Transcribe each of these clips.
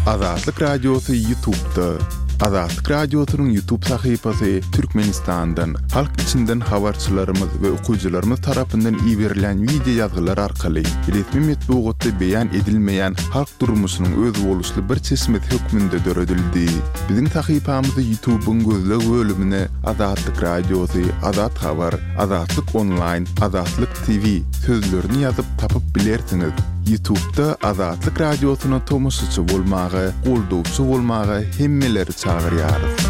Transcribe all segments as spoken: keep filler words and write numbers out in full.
Azatlyk Radiosy YouTube'da. Azatlyk Radiosynyň YouTube sahypasy Türkmenistandan, halk içinden habarçylarymyz we okyjylarymyz tarapyndan iberilen wideo ýazgylar arkaly resmi metbugatda beýan edilmeýän halk durmuşynyň özboluşly bir çeşmesi hökmünde döredildi. Biziň sahypamyzy YouTube'yň gözleg bölümine Azatlyk Radiosy, Azat Habar, Azatlyk Online, Azatlyk T V sözlerini ýazyp tapyp bilersiňiz. YouTube'da Azatlyk Radiosyna tomaşaçy bolmaga, goldawçy bolmaga hemmeleri çagyrýarys.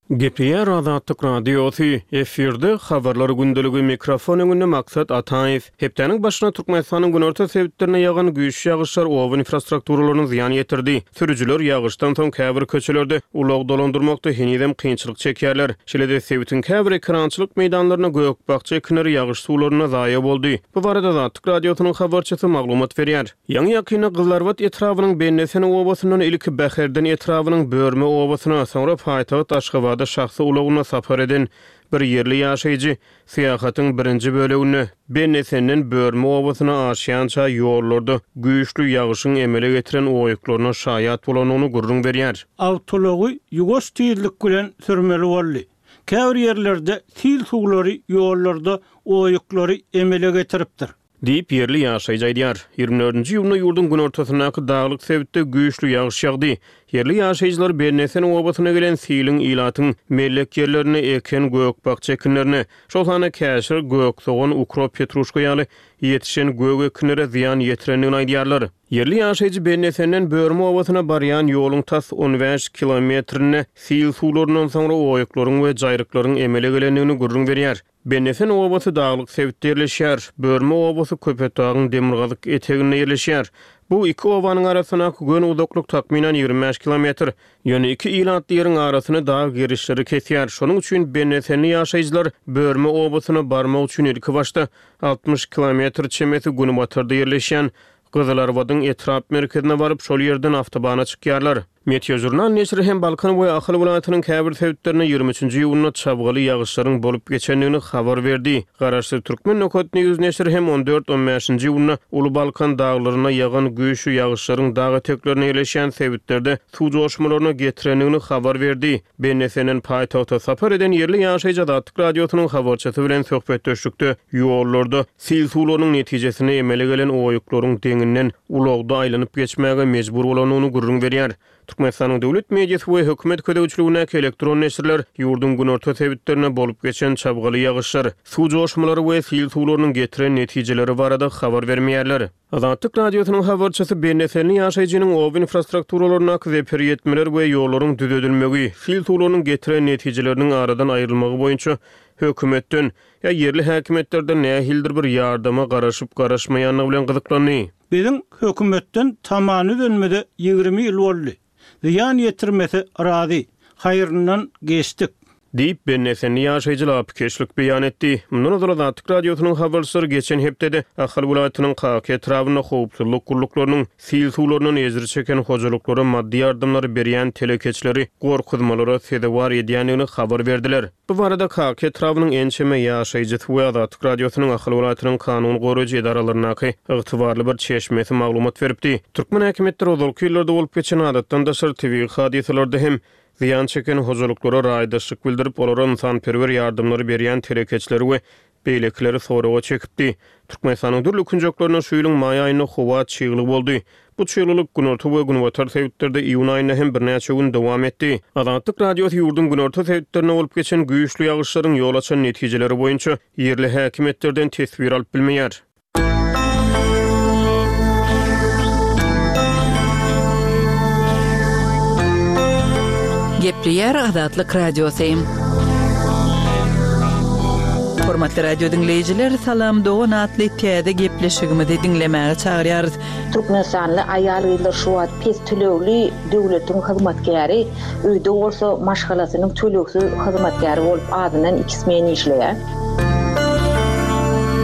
Gepleýär Azatlyk Radiosy, efirde habarlar gündeligi, mikrofon öňünde Maksat Ataýew. Hepdäniň başyna Türkmenistanyň günorta sebitlerine ýagan güýçli ýagyşlar oba infrastrukturalaryna zyýan ýetirdi. Sürüjiler ýagyşdan soň käbir köçelerde ulag dolandyrmakda henizem kynçylyk çekýärler. Şeýle-de sebitiň käbir ekrançylyk meýdanlaryna gök-bakja ekinleri ýagyş suwlaryna zaýa boldy. Bu barada Azatlyk Radiosynyň habarçysy maglumat berýär. Ýaňy ýakynda Gyzlarbat etrabynyň Bennesen obasyndan ilki Bäherden etrabynyň Börme obasyna, soňra paýtagt Aşgabada şahsy ulagyna sapar eden bir ýerli ýaşaýjy syýahatyň birinji böleginde Bennesenden Börme obasyna aşýança ýollarda güýçli ýagyşyň emele getiren oýuklaryna şaýat bolanyny gürrüň berýär. Awtolagy ýuwaş tizlik bilen sürmeli boldy. Käbir ýerlerde sil suwlary ýollarda oýuklary emele getiripdir. Diýip ýerli ýaşaýjy aýdýar. Ýigrimi dördünji iýunda ýurduň günortasyndaky daglyk sebitde güýçli ýagyş ýagdy. Ýerli ýaşaýjylar Bennesen obasyna gelen siliň ilatyň mellek ýerlerine eken gök-bakja ekinlerine, şol sanda käşir, gök sogan, ukrop, petruşka ýaly ýetişen gök ekinlere zyýan ýetirendigini aýdýarlar. Ýerli ýaşaýjy Bennesenden Börme obasyna barýan ýoluň tas on bäş kilometrinde sil suwlaryndan soňra oýuklaryň we jaýryklaryň emele gelendigini gürrüň berýär. Bennesen obasy daglyk sebitde ýerleşýär. Börme obasy Köpetdagyň demirgazyk eteginde ýerleşýär. Bu iki obanyň arasyndaky gön uzaklyk takmynan ýigrimi bäş kilometr. Ýöne iki ilatly ýeriň arasyny dag gerişleri kesýär. Şonuň üçin Bennesenli ýaşaýjylar Börme obasyna barmak üçin ilki başda altmyş kilometr çemesi günbatarda ýerleşýän Gyzylarbadyň etrap merkezine baryp, şol ýerden awtobana çykýarlar. Meteojurnal neşiri hem Balkan we Ahal welaýatynyň käbir sebitlerinde ýigrimi üçünji iýunda çabgaly ýagyşlaryň bolup geçendigini habar berdi. Garaşsyz Türkmen Nokat News neşiri hem on dört on bäşinji iýunda Uly Balkan daglaryna ýagan güýçli ýagyşlaryň dag eteklerine ýerleşýän sebitlerde suw joşmalaryna getirendigini habar berdi. Bennesenden paýtagta sapar eden ýerli ýaşaýjy Azatlyk Radiosynyň habarçysy bilen söhbetdeşlikde ýollarda sil suwlarynyň netijesinde emele gelen oýuklaryň deňinden ulagda aýlanyp geçmäge mejbur bolanyny gürrüň berýär. Türkmenistanyň döwlet mediasy we hökümet gözegçiligindäki elektron neşirler ýurduň günorta sebitlerine bolup geçen çabgaly ýagyşlar, suw joşmalary we sil suwlarynyň getiren netijeleri barada habar bermeýärler. Azatlyk Radiosynyň habarçysy Bennesenli ýaşaýjynyň oba infrastrukturalaryndaky zeper ýetmeler we ýollaryň düzedilmegi, sil suwlarynyň getiren netijeleriniň aradan aýrylmagy boýunça hökümetden ýa ýerli häkimiýetlerden nähilidir bir ýardama garaşyp garaşmaýanlygy bilen gyzyklandy. Biziň hökümetden tamany dönmede ýigrimi ýyl boldy. Zyýan ýetirmese razy, haýryndan geçdik. Diýip Bennesenli ýaşaýjy lapykeçlik beýan etdi. Mundan ozal Azatlyk Radiosynyň habarçylary geçen hepdede Ahal welaýatynyň Kaka etrabynda howpsuzlyk gulluklarynyň sil suwlaryndan ejir çeken hojalyklara maddy ýardamlary berýän telekeçileri gorkuzmalara sezewar edýändigini habar berdiler. Bu barada Kaka etrabynyň ençeme ýaşaýjysy we Azatlyk Radiosynyň Ahal welaýatynyň kanun goraýjy edaralaryndaky ygtybarly bir çeşmesi maglumat beripdi. Türkmen häkimiýetleri ozalky ýyllarda bolup geçen adatdan daşary tebigy hadysalarda hem zyýan çeken hojalyklara raýdaşlyk bildirip, olara insanperwer ýardamlary berýän telekeçileri we beýlekileri soraga çekipdi. Türkmenistanyň dürli künjeklerinde şu ýylyň maý aýynda howa çygly boldy. Bu çyglylyk günorta we günbatar sebitlerde iýun aýynda hem birnäçe gün dowam etdi. Azatlyk Radiosy ýurduň günorta sebitlerinde bolup geçen güýçli ýagyşlaryň ýol açan netijeleri boýunça ýerli häkimiýetlerden teswir alyp bilmeýär. Gepleýär Azatlyk Radiosy. Hormatly radio dinleýjiler, Salam Dogan atly täze gepleşigimizi diňlemäge çagyrýarys. Türkmenistanly aýal gyzlar şu wagt pes tölegli döwletiň hyzmatkäri, öýde bolsa maşgalasynyň tölegsiz hyzmatkäri bolup adyndan iki smen işleýär.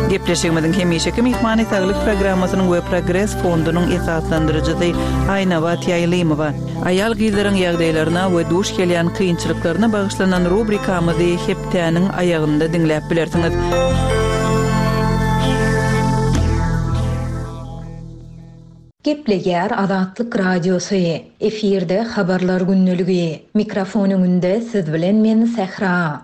Gepleşigimiziň hemişeki myhmany Saglyk programmasynyň we Progres fondunyň esaslandyryjysy Aýnabat Ýaýlymowa. Aýal gyzlaryň ýagdaýlaryna we duş gelýän kynçylyklaryna bagyşlanan rubrikamyzy hepdäniň aýagynda diňläp bilersiňiz. Gepleýär Azatlyk Radiosy. Efirde Habarlar gündeligi. Mikrofon öňünde siz bilen men Sähra.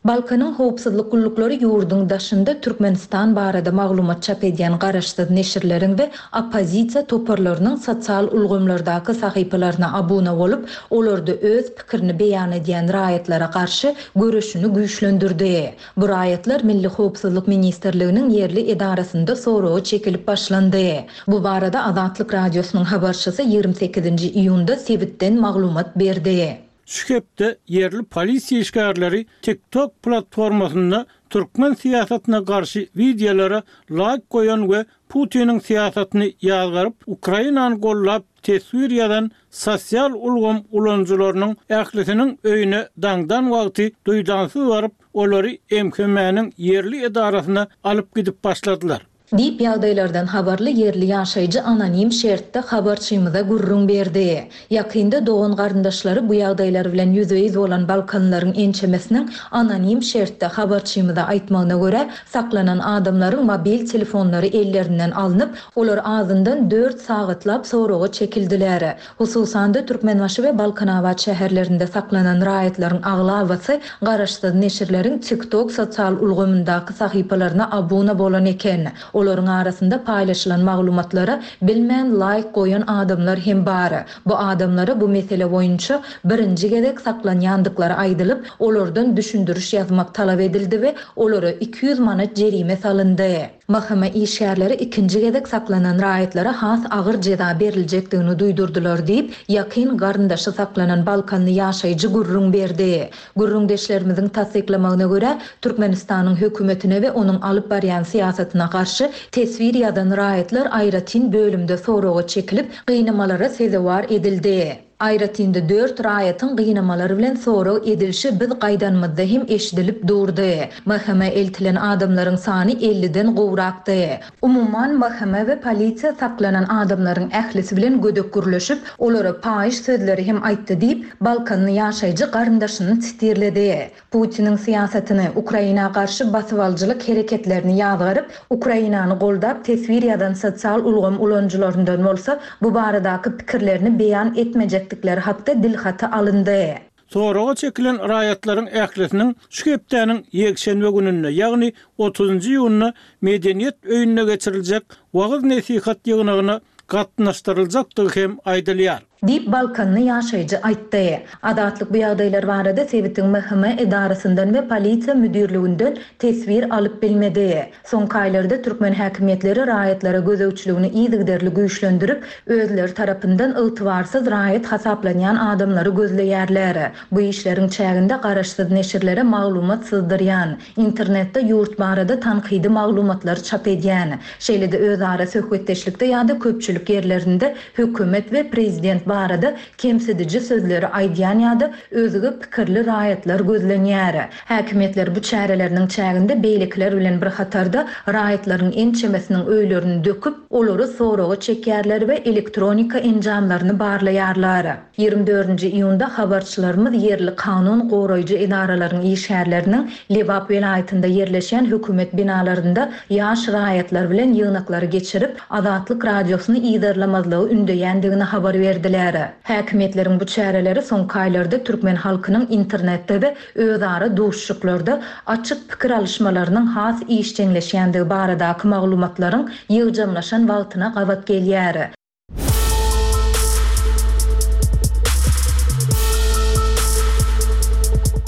Balkanyň howpsuzlyk gulluklary ýurduň daşynda Türkmenistan barada maglumat çap edýän garaşsyz neşirleriň we oppozisiýa toparlarynyň sosial ulgamlardaky sahypalaryna abuna bolup, olarda öz pikirini beýan edýän raýatlara garşy göreşini güýçlendirdi. Bu raýatlar Milli howpsuzlyk ministrliginiň ýerli edarasynda soraga çekilip başlandy. Bu barada Azatlyk Radiosynyň habarçysy ýigrimi sekizinji iýunda sebitden maglumat berdi. Şu hepde ýerli polisiýa işgärleri TikTok platformasynda türkmen syýasatyna garşy wideolara laýk goýan we Putiniň syýasatyny ýazgaryp, Ukrainany gollap teswir ýazan sosial ulgam ulanyjylarynyň ählisiniň öýüne daňdan wagty duýdansyz baryp, olary M H M-niň ýerli edarasyna alyp gidip başladylar. Diýip, ýagdaýlardan habarly ýerli ýaşaýjy anonim şertde habarçymyza gürrüň berdi. Ýakynda dogan-garyndaşlary bu ýagdaýlar bilen ýüzbe-ýüz bolan balkanlaryň ençemesiniň anonim şertde habarçymyza aýtmagyna görä, saklanan adamlaryň mobil telefonlary ellerinden alnyp, olar azyndan dört sagatlap soraga çekildiler. Hususan-da, Türkmenbaşy we Balkanabat şäherlerinde saklanan raýatlaryň aglabasy garaşsyz neşirleriň TikTok sosial ulgamyndaky sahypalaryna abuna bolan eken. Olaryň arasynda paýlaşylan maglumatlara bilmän laýk goýan adamlar hem bar. Bu adamlara bu mesele boýunça birinji gezek saklanýandyklary aýdylyp, olardan düşündiriş ýazmak talap edildi we olara iki ýüz manat jerime salyndy. M H M işgärleri ikinji gezek saklanan raýatlara has agyr jeza beriljekdigini duýdurdylar diýip, ýakyn garyndaşy saklanan balkanly ýaşaýjy gürrüň berdi. Gürrüňdeşlerimiziň tassyklamagyna görä, Türkmenistanyň hökümetine we onuň alyp barýan syýasatyna garşy teswir ýazan raýatlar aýratyn bölümde soraga çekilip, gynamalara sezewar edildi. Aýratyn-da dört raýatyň gynamalar bilen sorag edilişi biz gaýdanymyzda hem eşidilip durdy. M H M eltilen adamlaryň sany elliden gowrakdy. Umuman, M H M we polisiýa saklanan adamlaryň ählisi bilen gödek gürleşip, olara paýyş sözleri hem aýtdy diýip, balkanly ýaşaýjy garyndaşyny sitirledi. Putiniň syýasatyny, Ukraina garşy basybalyjylyk hereketlerini ýazgaryp, Ukrainany goldap teswir ýazan sosial ulgam ulanyjylaryndan bolsa bu baradaky pikirlerini beýan etmejekdikleri hakda dilhaty alyndy. Soraga çekilen raýatlaryň ählisiniň şu hepdäniň ýekşenbe gününde, ýagny otuzynjy iýunda Medeniýet öýünde geçiriljek wagyz-nesihat ýygnagyna gatnaşdyryljakdygy hem aýdylýar. Diýip, balkanly ýaşaýjy aýtdy. Azatlyk bu ýagdaýlar barada sebitiň M H M edarasyndan we polisiýa müdirliginden teswir alyp bilmedi. Soňky aýlarda türkmen häkimiýetleri raýatlara gözegçiligini yzygiderli güýçlendirip, özleri tarapyndan ygtybarsyz raýat hasaplanýan adamlary gözleýärler. Bu işleriň çäginde garaşsyz neşirlere maglumat syzdyrýan, internetde ýurt barada tankydy maglumatlary çap edýän, şeýle-de özara söhbetdeşlikde ýa-da köpçülik ýerlerinde hökümet we prezident barada kemsidiji sözleri aýdýan ýa-da özge pikirli raýatlar gözlenýär. Häkimiýetler bu çäreleriniň çäginde beýlekiler bilen bir hatarda raýatlaryň ençemesiniň öýlerini döküp, olary soraga çekýärler we elektronika enjamlaryny barlaýarlar. Ýigrimi dördünji iýunda habarçylarymyz ýerli kanun goraýjy edaralaryň işgärleriniň Lebap welaýatynda ýerleşýän hökümet binalarynda ýaş raýatlar bilen ýygnaklary geçirip, Azatlyk Radiosyny yzarlamazlygy ündeýändigini habar berdiler. Häkimiýetleriň bu çäreleri soňky aýlarda türkmen halkynyň internetde we özara duşuşyklarda açyk pikir alyşmalarynyň has işjeňleşýändigi baradaky maglumatlaryň ýygjamlaşan wagtyna gabat gelýär.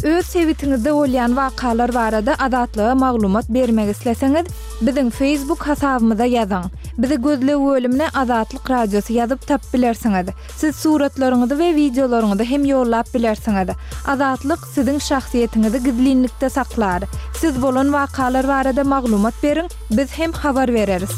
Öz sebitiňizde bolýan wakalar barada Azatlyga maglumat bermek isleseňiz, biziň Facebook hasabymyza ýazyň. Bizi gözleg bölümine Azatlyk Radiosy ýazyp tapyp bilersiňiz. Siz suratlaryňyzy we wideolaryňyzy hem ýollap bilersiňiz. Azatlyk siziň şahsyýetiňizi gizlinlikde saklar. Siz bolan wakalar barada maglumat beriň, biz hem habar bereris.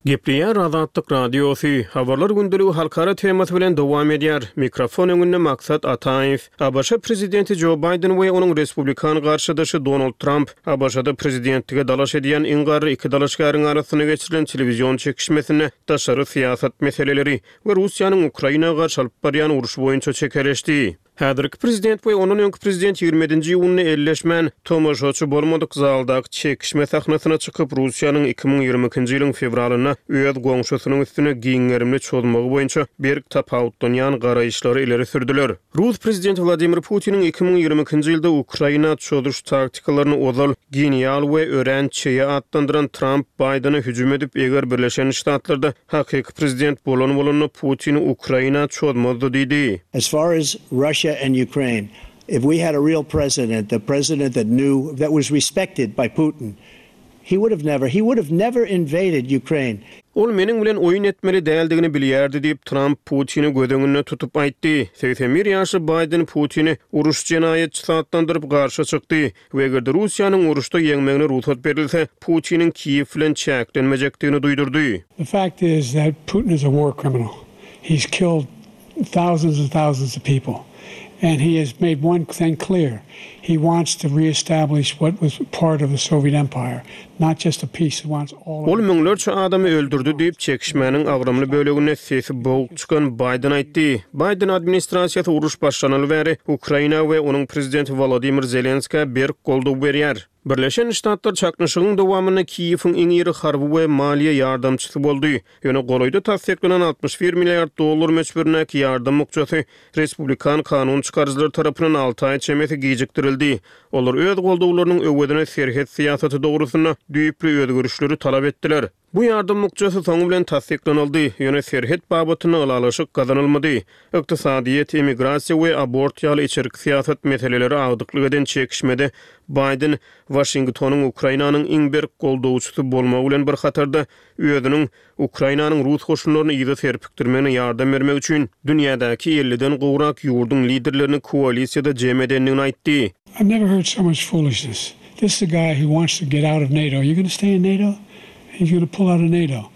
Gepleýär Azatlyk Radiosy. Habarlar gündeligi halkara temasy bilen dowam edýär. Mikrofon öňünde Maksat Ataýew. A B Ş prezidenti Joe Biden we onuň respublikan garşydaşy Donald Trump A B Ş-da prezidentlige dalaş edýän iň garry iki dalaşgäriň arasynda geçirilen telewizion çekişmesinde daşary syýasat meseleleri we Russiýanyň Ukraina garşy alyp barýan urşy boýunça çekeleşdi. Häzirki prezident we ondan öňki prezident ýigrimi ýedinji iýunda elleşmän, tomaşaçy bolmadyk zaldaky çekişme sahnasyna çykyp, Russiýanyň iki müň ýigrimi ikinji ýylyň fewralynda öz goňşusynyň üstüne giň gerimli çozmagy boýunça berk tapawutlanýan garaýyşlary ileri sürdüler. Rus prezidenti Wladimir Putiniň iki müň ýigrimi ikinji ýylda Ukraina çozuş taktikalaryny ozal genial we örän çeýe atlandyran Tramp Baýdene hüjüm edip, eger Birleşen Ştatlarda hakyky prezident bolan bolanda Putin Ukraina çozmazdy diýdi. As far as Russia and Ukraine, if we had a real president, the president that knew, that was respected by Putin, he would have never, he would have never invaded Ukraine. Ol meniň bilen oýun etmeli däldigini bilýärdi diýip, Tramp Putini göz öňünde tutup aýtdy. Segsen bir ýaşly Baýden Putini uruş jenaýatçysy atlandyryp garşy çykdy we eger-de Russiýanyň uruşda ýeňmegine rugsat berilse, Putiniň Kiýew bilen çäklenmejekdigini duýdurdy. The fact is that Putin is a war criminal. He's killed thousands and thousands of people and he has made one thing clear, he wants to reestablish what was part of the Soviet Empire, not just a piece, he wants all of Ol müňlerçe adamy öldürdi diýip, çekişmäniň agramly böleginde sesi boguk çykan Baýden aýtdy. Baýden administrasiýasy uruş başlanaly bäri Ukraina we onuň prezidenti Wolodymyr Zelenskä berk goldaw berýär. Birleşen Ştatlar çaknyşygyň dowamynda Kiýewiň iň iri harby we maliýe ýardamçysy boldy. Ýöne golaýda tassyklanan altmyş bir milliard dollar möçberindäki ýardam bukjasy respublikan kanun çykaryjylar tarapyndan alty aý çemesi gijikdirildi. Olar öz goldawlarynyň öwezine serhet syýasaty dogrusynda düýpli özgerişleri talap etdiler. Bu ýardam bukjasy soňy bilen tassyklanyldy, ýöne serhet babatynda ylalaşyk gazanylmady. Ykdysadyýet, emigrasiýa we abort ýaly içerki syýasat meseleleri agdyklyk eden çekişmede Baýden Waşingtonyň Ukrainanyň iň berk goldawçysy bolmagy bilen bir hatarda özüniň Ukrainanyň rus goşunlaryny yza serpikdirmegine ýardam bermek üçin dünýädäki elliden gowrak ýurduň liderlerini koalisiýada jem edendigini aýtdy. I've never heard so much foolishness. This is a guy who wants to get out of NATO. Are you gonna stay in NATO? He's gonna pull out of NATO.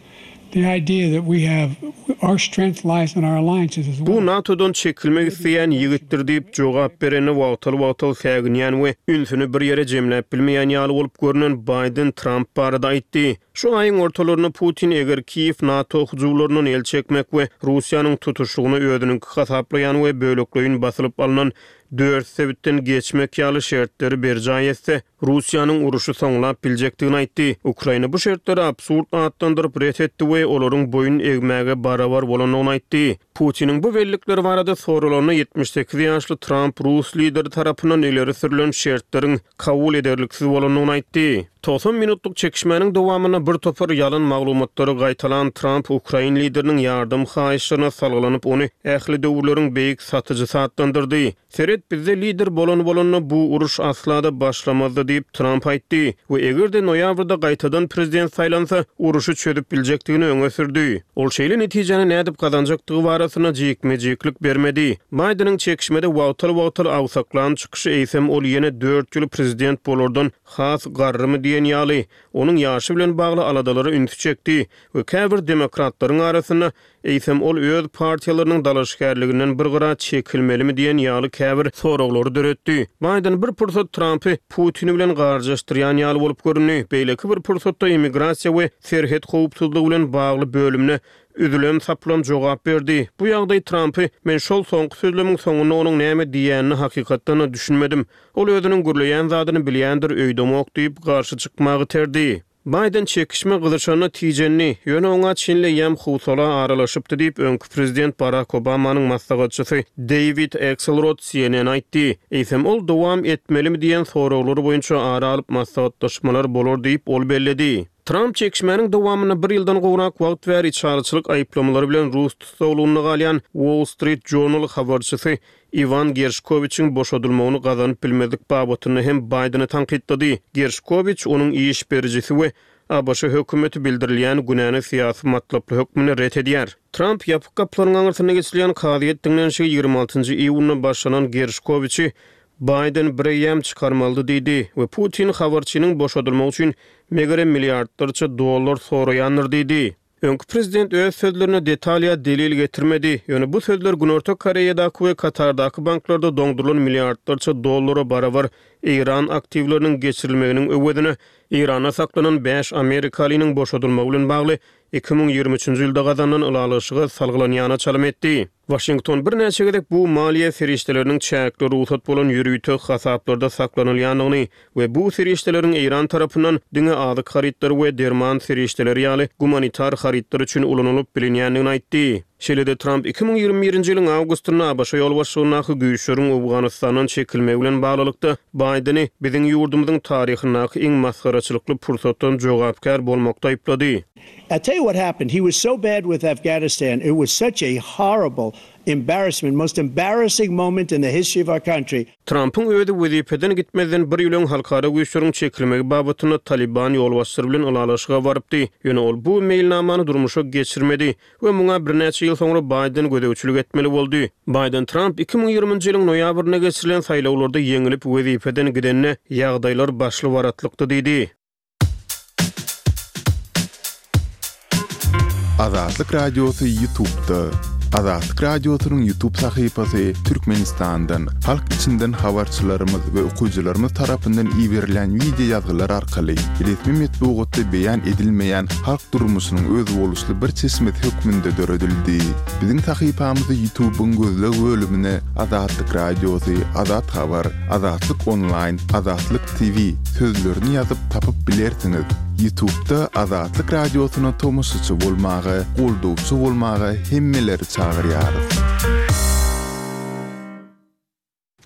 The idea that we have our strength lies in our alliances as well. Bu NATO-dan çekilmek isleýän ýigitdir diýip jogap berende wagtal-wagtal säginýän we ünsüni bir ýere jemläp bilmeýän ýaly bolup görnen Baýden Tramp barada aýtdy. Şu aýyň ortalarynda Putin eger Kiýew NATO hyjuwlaryndan el çekmek we Russiýanyň tutuşlygyna özüniňki hasaplaýan we bölekleýin basylyp alnan dört sebitden geçmek ýaly şertleri berjaý etse, Russiýanyň uruşy soňlap biljekdigini aýtdy. Ukraina bu şertleri absurd atlandyryp ret etdi we olaryň boýun egmäge barabar bolandygyny aýtdy. Putiniň bu bellikleri barada soralanda ýetmiş sekiz ýaşly Tramp rus lideri tarapyndan ileri sürlen şertleriň kabul ederliksiz bolandygyny aýtdy. Togsan minutlyk çekişmäniň dowamynda bir topar ýalan maglumatlary gaýtalan Tramp ukrain lideriniň ýardam haýyşlaryna salgylanyp ony ähli döwürleriň beýik satyjysy atlandyrdy. Seret, bizde lider bolan bolanda bu uruş asla-da başlamazdy diýip, Tramp aýtdy we eger-de noýabrda gaýtadan prezident saýlansa, uruşy çözüp biljekdigini öňe sürdi. Ol şeýle netijäni nädip gazanjakdygy barasynda jikme-jiklik bermedi. Baýdeniň çekişmede wagtal-wagtal agsaklan çykyşy eýsem ol ýene dört ýyl prezident bolardan has garrymy diýen ýaly, onuň ýaşy bilen bagly aladalara ünsi çekdi we käbir demokratlaryň arasynda eýsem ol öz partiýalarynyň dalaşgärliginden bir gyra çekilmelimi diýen ýaly käbir soraglary döretdi. Baýden bir pursat Trampy Putin bilen garjaşdyrýan ýaly bolup göründi, beýleki bir pursatda immigrasiýa we serhet howpsuzlygy bilen bagly bölümine üzülem-saplam jogap berdi. Bu ýagdaý Trampy Men şol soňky sözlemiň soňunda onuň näme diýýänine hakykatdan-da düşünmedim. Ol özüniň gürleýän zadyny bilýändir öýdemok diýip, garşy çykmagy iterdi. Baýden çekişme gyzyşanda tijendi, ýöne oňa çenli eýýäm howsala aralaşypdy diýip, öňki prezident Barak Obamanyň maslahatçysy Deýwid Akselrod C N N aýtdy. Eýsem ol dowam etmelimi diýen soraglar boýunça ara alyp maslahatlaşmalar bolar diýip, ol belledi. Tramp çekişmäniň dowamynda bir ýyldan gowrak wagt bäri içalyçylyk aýyplamalary bilen rus tussaglygynda galýan Wall Street Journal habarçysy Iwan Gerşkowiçiň boşadylmagyny gazanyp bilmezlik babatynda hem Baýdeni tankytlady. Gerşkowiç, onuň iş berijisi we A B Ş hökümeti bildirilýän günäni syýasy matlaply hökmünde ret edýär. Tramp ýapyk gapylaryň aňyrsynda geçirilýän kazyýet diňlenişigi ýigrimi altynjy iýunda başlanan Gerşkowiçi Baýden bireýýäm çykarmalydy diýdi we Putin habarçynyň boşadylmagy üçin megerem milliardlarça dollar soraýandyr diýdi. Öňki prezident öz sözlerine detal ýa delil getirmedi, ýöne bu sözler Günorta Koreýadaky we Katardaky banklarda doňdurylan milliardlarça dollara barabar Eýran aktiwleriniň geçirilmeginiň öwezine Eýranda saklanan bäş amerikalynyň boşadylmagy bilen bagly iki müň ýigrimi üçünji ýylda gazanylan ylalaşyga salgylanýana çalym etdi. Waşington birnäçe gezek bu maliýe serişdeleriniň çäkli rugsat bolan ýörite hasaplarda saklanylýandygyny we bu serişdeleriň Eýran tarapyndan diňe azyk harytlary we derman serişdeleri ýaly gumanitar harytlar üçin ulanylyp bilinýändigini aýtdy. Şeýle-de Tramp iki müň ýigrimi birinji ýylyň awgustynda ABŞ ýolbaşçylygyndaky güýçleriň Owganystandan çekilmegi bilen baglylykda Baýdeni biziň ýurdumyzyň taryhyndaky iň masgaraçylykly pursatdan jogapkär bolmakda aýyplady. I tell you what happened. He was so bad with Afghanistan. It was such a horrible embarrassment, most embarrassing moment in the history of our country. Trampyň özi wezipeden gitmezden bir ýyl öň halkara güýçleriň çekilmegi babatynda Taliban ýolbaşçylary bilen ylalaşyga barypdy. Ýöne ol bu meýilnamany durmuşa geçirmedi we muňa birnäçe ýyl soňra Baýden gözegçilik etmeli boldy. Baýden Tramp iki müň ýigriminji ýylyň noýabrynda geçirilen saýlawlarda ýeňilip wezipeden gidende ýagdaýlar başly-baratlykdy diýdi. Azatlyk Radiosy YouTube'da. Azatlyk Radiosynyň YouTube sahypasy Türkmenistandan, halk içinden habarçylarymyz we okyjylarymyz tarapyndan iberilen wideo ýazgylar arkaly resmi metbugatda beýan edilmeýän halk durmuşynyň özboluşly bir çeşmesi hökmünde döredildi. Biziň sahypamyzy YouTube'yň gözleg bölümine Azatlyk Radiosy, Azat Habar, Azatlyk Online, Azatlyk T V sözlerini ýazyp tapyp bilersiňiz. YouTube'da Azatlyk Radiosyna tomaşaçy bolmaga, goldawçy bolmaga hemmeleri çagyrýarys.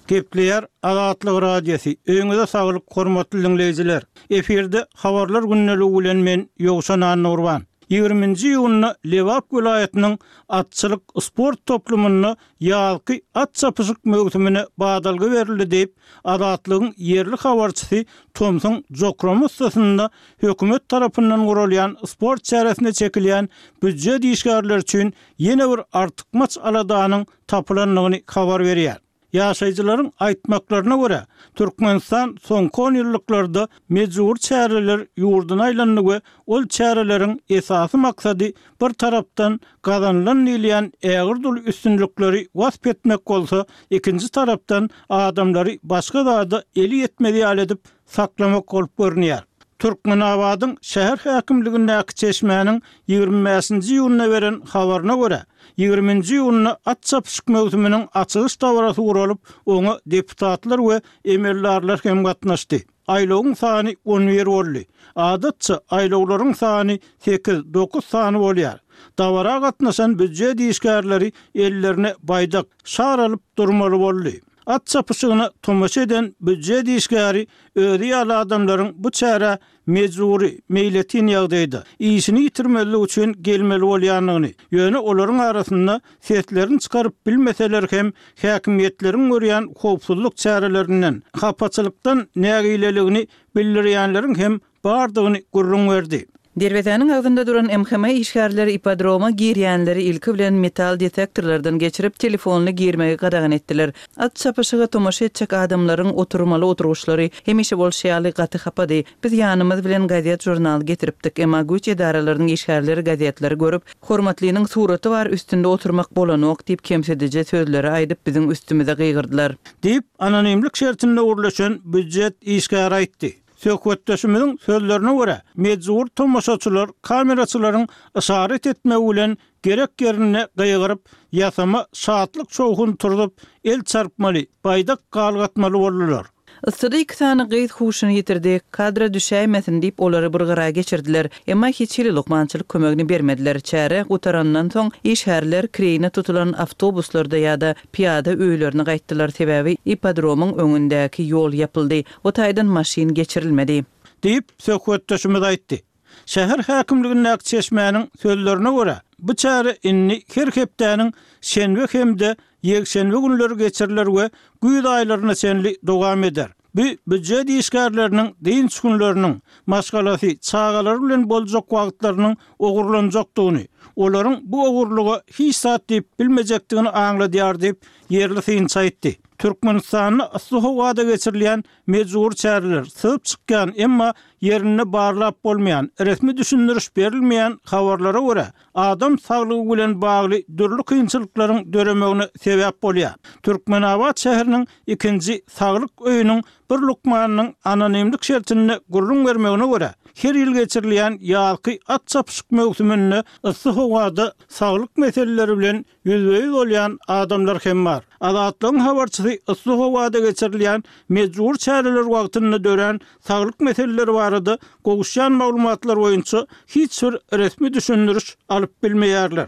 Gepleýär Azatlyk Radiosy. Öýüňize saglyk, hormatly dinleýjiler. Efirde habarlar gündeligi bilen men Ýowşan Annurban. Ýigriminji iýunda Lebap welaýatynyň atçylyk sport toplumynda ýazky at çapyşyk möwsümine badalga berildi diýip, Azatlygyň ýerli habarçysy Tomsuň Jokromustasynda hökümet tarapyndan guralýan sport çäresine çekilýän býujet işgärleri üçin ýene bir artykmaç aladanyň tapylandygyny habar berýär. Ýaşaýjylaryň aýtmaklaryna görä, Türkmenistan soňky on ýyllyklarda mejbur çäreler ýurduna aýlandy we ol çäreleriň esasy maksady bir tarapdan gazanylan diýilýän ägir dul üstünlikleri wasp etmek bolsa, ikinji tarapdan adamlary başga zada eli ýetmez ýaly edip saklamak bolup görünýär. Türkmenabadyň şäher häkimligindäki çeşmäniň ýigrimi bäşinji iýunda beren habaryna görä, ýigriminji iýunda at çapyşyk möwsüminiň açylyş dabarasy guralyp, oňa deputatlar we emeldarlar hem gatnaşdy. Aýlawyň sany on bir boldy. Adatça aýlawlaryň sany sekiz, dokuz sany bolýar. Dabara gatnaşan býujet işgärleri ellerine baýdak, şar alyp durmaly boldy. At çapyşygyna tomaşa eden býujet işgäri özi ýaly adamlaryň bu çärä mejburi, meýletin ýagdaýda işini ýitirmezlik üçin gelmeli bolýandygyny, ýöne olaryň arasynda seslerini çykaryp bilmeseler hem häkimiýetleriň görýän howpsuzlyk çärelerinden, hapaçylykdan nägileligini bildirýänleriň hem bardygyny gürrüň berdi. Derwezäniň agzynda duran M H M işgärleri ipodroma girýänleri ilki bilen metal detektorlardan geçirip telefonly girmegi gadagan etdiler. At çapyşyga tomaşa etjek adamlaryň oturmaly oturguşlary hemişe bolşy ýaly gaty hapady. Biz ýanymyz bilen gazet jurnal getiripdik. Emma güýç edaralarynyň işgärleri gazetleri görüp, hormatlynyň suraty bar üstünde oturmak bolanok diýip kemsidiji sözleri aýdyp biziň üstümize gygyrdylar. Diýip anonimlik şertinde gurlaşan býujet işgäri aýtdy. Söhbetdeşimiziň sözlerine görä, mejbur tomaşaçylar kameraçylaryň işaret etmegi bilen gerek ýerine gygyryp, ýasama şatlyk şowhun turzup, el çarpmaly, baýdak galgatmaly boldular. Yssyda iki sany gyz huşuny ýitirdi, kadra düşäýmesin diýip olary bir gyra geçirdiler. Emma hiç hili lukmançylyk kömegini bermediler. Çäre gutarandan soň işgärler kireýine tutulan awtobuslarda ýa-da piýada öýlerine gaýtdylar. Sebäbi ipodromyň öňündäki ýol ýapyldy. O taýdan maşyn geçirilmedi. Diýip söhbetdeşimiz aýtdy. Şäher häkimligindäki çeşmäniň sözlerine görä, bu çäre indi her hepdäniň şenbe hem-de ýekşenbe günleri geçiriler we güýz aýlaryna çenli dowam eder. Bu býujet işgärleriniň dynç günleriniň, maşgalasy, çagalary bilen boljak wagtlarynyň ogurlanjakdygyny, olaryň bu ogurlyga hiç zat diýip bilmejekdigini aňladýar diýip ýerli synçy aýtdy. Türkmenistanda yssy howada geçirilýän mejbury çäreler, syzyp çykýan, emma ýerinde barlap bolmaýan, resmi düşündiriş berilmeýän habarlara görä, adam saglygy bilen bagly dürli kynçylyklaryň döremegine sebäp bolýar. Türkmenabat şäheriniň ikinji saglyk öýüniň bir lukmanynyň anonimlik şertinde gürrüň bermegine görä, her ýyl geçirilýän ýazky at çapyşyk möwsüminde yssy howada saglyk meseleleri bilen ýüzbe-ýüz bolýan adamlar hem bar. Azatlygyň habarçysy yssy howada geçirilýän mejbury çäreler wagtynda dörän saglyk meseleleri barada gowuşýan maglumatlar boýunça hiç bir resmi düşündiriş alyp bilmeýärler.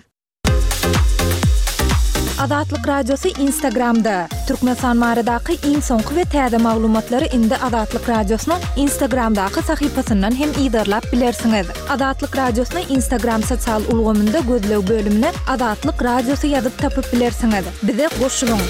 Azatlyk Radiosy Instagramda, Türkmenistan baradaky iň soňky we täze maglumatlary indi Azatlyk Radiosynyň Instagramdaky sahypasyndan hem yzarlap bilersiňiz. Azatlyk Radiosyny Instagram sosial ulgamynda gözleg bölümine Azatlyk Radiosy ýazyp tapyp bilersiňiz. Bize goşulyň!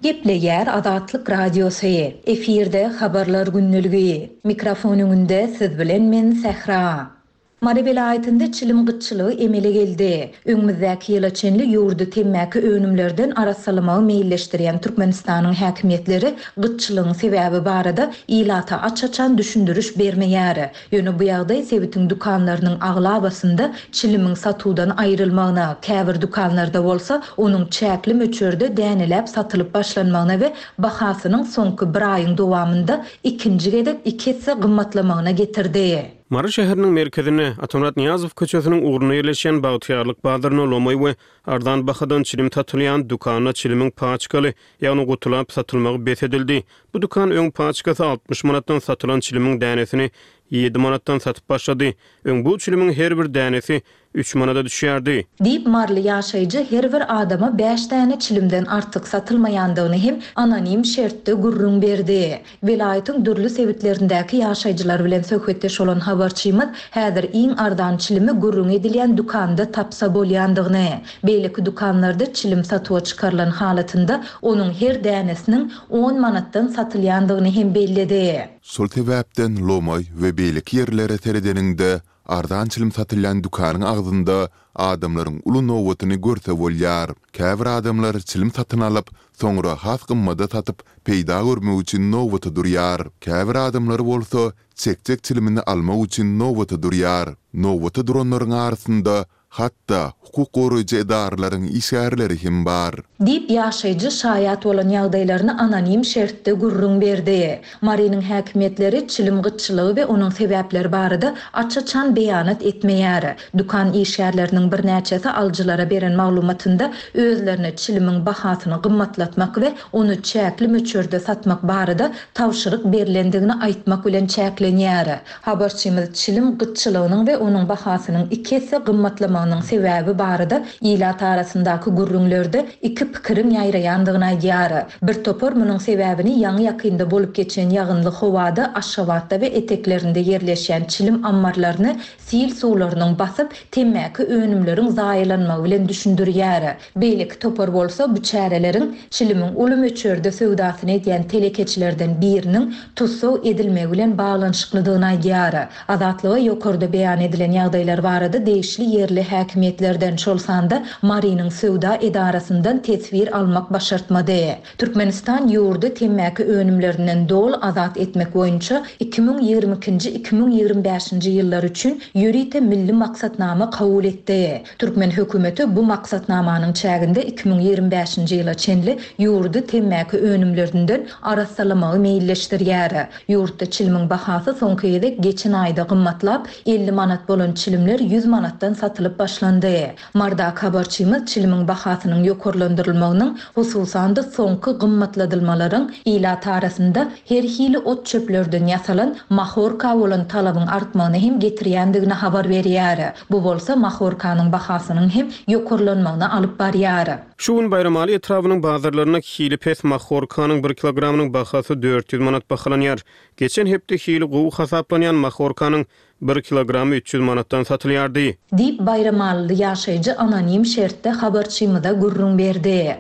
Gepleýär Azatlyk Radiosy. Efirde Habarlar gündeligi. Mikrofon öňünde siz bilen men Sähra. Mary welaýatynda çilim gytçylygy emele geldi. Öňümizdäki ýyla çenli ýurdy temmäki önümlerden arassalamagy meýilleşdirýän Türkmenistanyň häkimiýetleri gytçylygyň sebäbi barada ilata aç-açan düşündiriş bermeýär. Ýöne bu ýagdaý sebitiň dükanlarynyň aglabasynda çilimiň satuwdan aýrylmagyna, käbir dükanlarda bolsa onuň çäkli möçberde däneläp satylyp başlanmagyna we bahasynyň soňky bir aýyň dowamynda ikinji gezek iki esse gymmatlamagyna getirdi. Mary şäheriniň merkezinde, Atamyrat Nyýazow köçesiniň ugrunda ýerleşýän Bagtyýarlyk bazarynda lomaý we arzan bahadan çilim satylýan dükanda çilimiň paçkaly, ýagny gutulap satylmagy bes edildi. Bu dükan öň paçkasy altmyş manatdan satylan çilimiň dänesini ýedi manatdan satyp başlady. Öň bu çilimiň her bir dänesi üç manada düşýärdi. Diýip, maryly ýaşaýjy her bir adama bäş däne çilimden artyk satylmaýandygyny hem anonim şertde gürrüň berdi. Welaýatyň dürli sebitlerindäki ýaşaýjylar bilen söhbetdeş bolan habarçymyz häzir iň arzan çilimi gürrüňi edilýän dükanda tapsa bolýandygyny, beýleki dükanlarda çilim satuwa çykarylan halatynda onuň her dänesiniň on manatdan satylýandygyny hem belledi. Şol sebäpden lomaý we beýleki ýerlere seredeniňde, arzan çilim satylýan dükanyň agzynda adamlaryň uly nobatyny görse bolýar. Käbir adamlar çilim satyn alyp, soňra has gymmada satyp, peýda görmek üçin nobata durýar. Käbir adamlar bolsa çekjek çilimini almak üçin nobata durýar. Nobata duranlaryň arasynda hatda hukuk goraýjy edaralaryň işgärleri hem bar. Diýip, ýaşaýjy şaýat bolan ýagdaýlaryny anonim şertde gürrüň berdi. Marynyň häkimiýetleri çilim gytçylygy we onuň sebäpleri barada aç-açan beýanat etmeýär. Dükan işgärleriniň birnäçesi alyjylara beren maglumatynda özlerine çilimiň bahasyny gymmatlatmak we ony çäkli möçberde satmak barada tabşyryk berlendigini aýtmak bilen çäklenýär. Habarçymyz çilim gytçylygynyň we onuň bahasynyň iki esse gymmatlamagynyň sebäbi barada ilat arasyndaky gürrüňlerde iki pikiriň ýaýraýandygyny aýdýar. Bir topar munuň sebäbini ýaňy-ýakynda bolup geçen ýagynly howada Aşgabatda we eteklerinde ýerleşýän çilim ammarlaryny sil suwlarynyň basyp, temmäki önümleriň zaýalanmagy bilen düşündirýär. Beýleki topar bolsa bu çäreleriň çilimiň uly möçberde söwdasyny edýän telekeçilerden biriniň tussag edilmegi bilen baglanyşyklydygyny aýdýar. Azatlyga ýokarda beýan edilen ýagdaýlar barada degişli ýerli häkimiýetlerden, şol sanda Marynyň söwda edarasyndan teswir almak başartmady. Türkmenistan ýurdy temmäki önümlerinden doly azat etmek boýunça iki müň ýigrimi ikinji, iki müň ýigrimi bäşinji ýyllar üçin ýörite milli maksatnama kabul etdi. Türkmen hökümeti bu maksatnamanyň çäginde iki müň ýigrimi bäşinji ýyla çenli ýurdy temmäki önümlerinden arassalamagy meýilleşdirýär. Ýurtda çilimiň bahasy soňky gezek geçen aýda gymmatlap, elli manat bolan çilimler ýüz manatdan satylyp başlandy. Mardaky habarçymyz çilimiň bahasynyň ýokarlandyrylmagynyň, hususan-da soňky gymmatladylmalaryň ilat arasynda her hili ot çöplerden ýasalan mahorka bolan talabyň artmagyna hem getirýändigini habar berýär. Bu bolsa mahorkanyň bahasynyň hem ýokarlanmagyna alyp barýar. Şu gün Baýramaly etrabynyň bazarlarynda hili pes mahorkanyň bir kilogramynyň bahasy dört ýüz manat bahalanýar. Geçen hepde hili gowy hasaplanýan mahorkanyň bir kilogramy üç ýüz manatdan satylýardy. Diýip, Baýramalyly ýaşaýjy anonim şertde habarçymyza gürrüň berdi.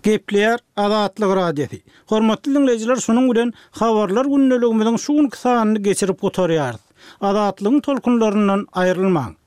Gepleýär Azatlyk Radiosy. Hormatly dinleýjiler, şunuň bilen habarlar gündeligimiziň şu günki sanyny geçirip gutarýarys. Azatlygyň tolkunlaryndan aýrylmaň.